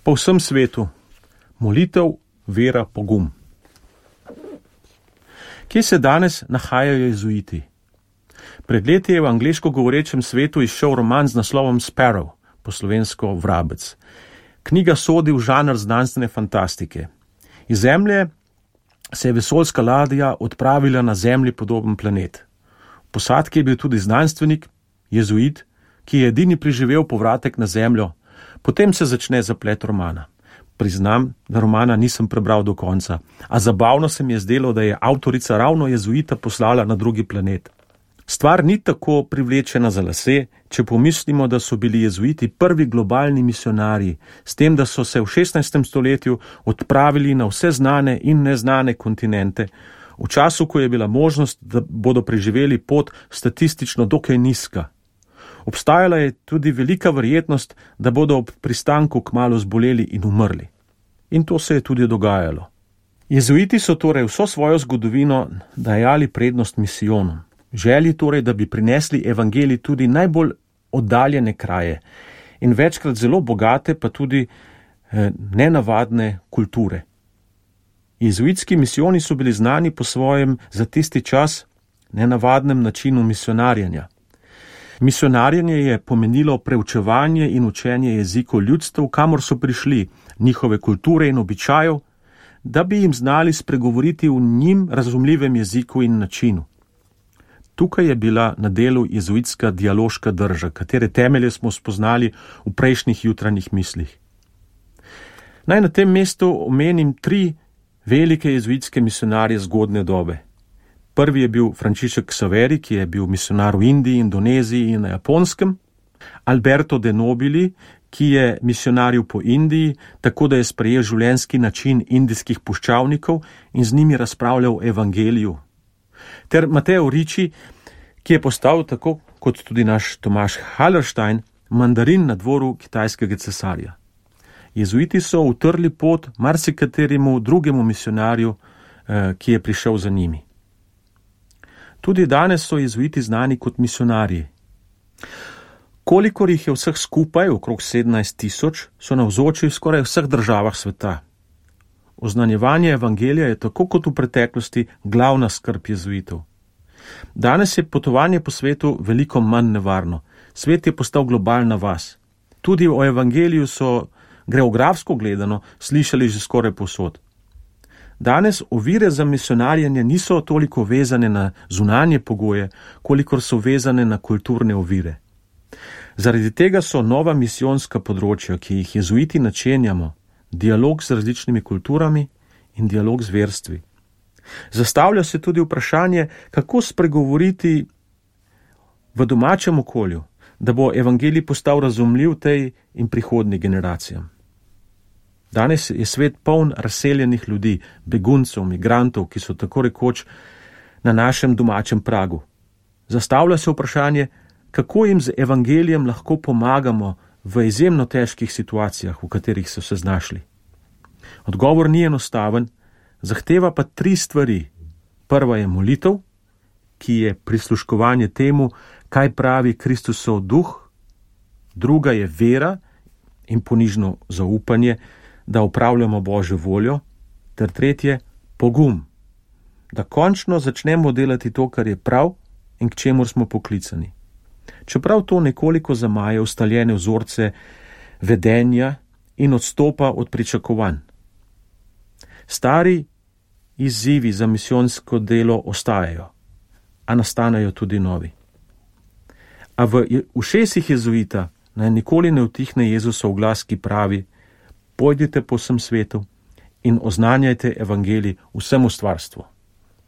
Po vsem svetu. Molitev, vera, pogum. Kje se danes nahajajo jezuiti? Pred leti je v angleško govorečem svetu izšel roman z naslovom Sparrow, po slovensko Vrabec. Knjiga sodi v žanr znanstvene fantastike. Iz Zemlje se je vesoljska ladja odpravila na Zemlji podoben planet. V posadki je bil tudi znanstvenik, jezuit, ki je edini preživel povratek na Zemljo. Potem se začne zaplet romana. Priznam, da romana nisem prebral do konca, a zabavno se mi je zdelo, da je avtorica ravno jezuita poslala na drugi planet. Stvar ni tako privlečena za lase, če pomislimo, da so bili jezuiti prvi globalni misionarji, s tem, da so se v 16. stoletju odpravili na vse znane in neznane kontinente, v času, ko je bila možnost, da bodo preživeli pot statistično dokaj nizka. Obstajala je tudi velika verjetnost, da bodo ob pristanku kmalu zboleli in umrli. In to se je tudi dogajalo. Jezuiti so torej vso svojo zgodovino dajali prednost misijonom. Želji torej, da bi prinesli evangelij tudi najbolj oddaljene kraje in večkrat zelo bogate, pa tudi nenavadne kulture. Jezuitski misijoni so bili znani po svojem za tisti čas nenavadnem načinu misionarjenja. Misionarjenje je pomenilo preučevanje in učenje jezikov ljudstev, kamor so prišli, njihove kulture in običajev, da bi jim znali spregovoriti v njim razumljivem jeziku in načinu. Tukaj je bila na delu jezuitska dialoška drža, katere temelje smo spoznali v prejšnjih jutranjih mislih. Naj na tem mestu omenim 3 velike jezuitske misionarje zgodne dobe. Prvi je bil Frančišek Saveri, ki je bil misionar v Indiji, Indoneziji in na Japonskem. Alberto de Nobili, ki je misionaril po Indiji, tako da je sprejel življenjski način indijskih puščavnikov in z njimi razpravljal o evangeliju. Ter Mateo Ricci, ki je postal, tako kot tudi naš Tomaž Hallerstein, mandarin na dvoru kitajskega cesarja. Jezuiti so utrli pot marsikateremu drugemu misionarju, ki je prišel za njimi. Tudi danes so jezuiti znani kot misionarji. Kolikor jih je vseh skupaj, okrog 17.000, so navzoči v skoraj vseh državah sveta. Oznanjevanje evangelija je tako kot v preteklosti glavna skrb jezuitov. Danes je potovanje po svetu veliko manj nevarno. Svet je postal globalna vas. Tudi o evangeliju so geografsko gledano slišali že skoraj povsod. Danes ovire za misionarjenje niso toliko vezane na zunanje pogoje, kolikor so vezane na kulturne ovire. Zaradi tega so nova misijonska področja, ki jih jezuiti načenjamo, dialog z različnimi kulturami in dialog z verstvi. Zastavlja se tudi vprašanje, kako spregovoriti v domačem okolju, da bo evangelij postal razumljiv tej in prihodnjim generacijam. Danes je svet poln razseljenih ljudi, beguncev, migrantov, ki so tako rekoč na našem domačem pragu. Zastavlja se vprašanje, kako jim z evangelijem lahko pomagamo v izjemno težkih situacijah, v katerih so se znašli. Odgovor ni enostaven, zahteva pa 3 stvari. Prva je molitev, ki je prisluškovanje temu, kaj pravi Kristusov duh. Druga je vera in ponižno zaupanje, da opravljamo Božjo voljo. Ter tretje, pogum, da končno začnemo delati to, kar je prav in k čemur smo poklicani. Čeprav to nekoliko zamaje ustaljene vzorce vedenja in odstopa od pričakovanj. Stari izzivi za misijonsko delo ostajajo, a nastanejo tudi novi. A v ušesih jezuita naj nikoli ne utihne Jezusov glas, ki pravi: pojdite po vsem svetu in oznanjajte evangelij vsemu stvarstvu.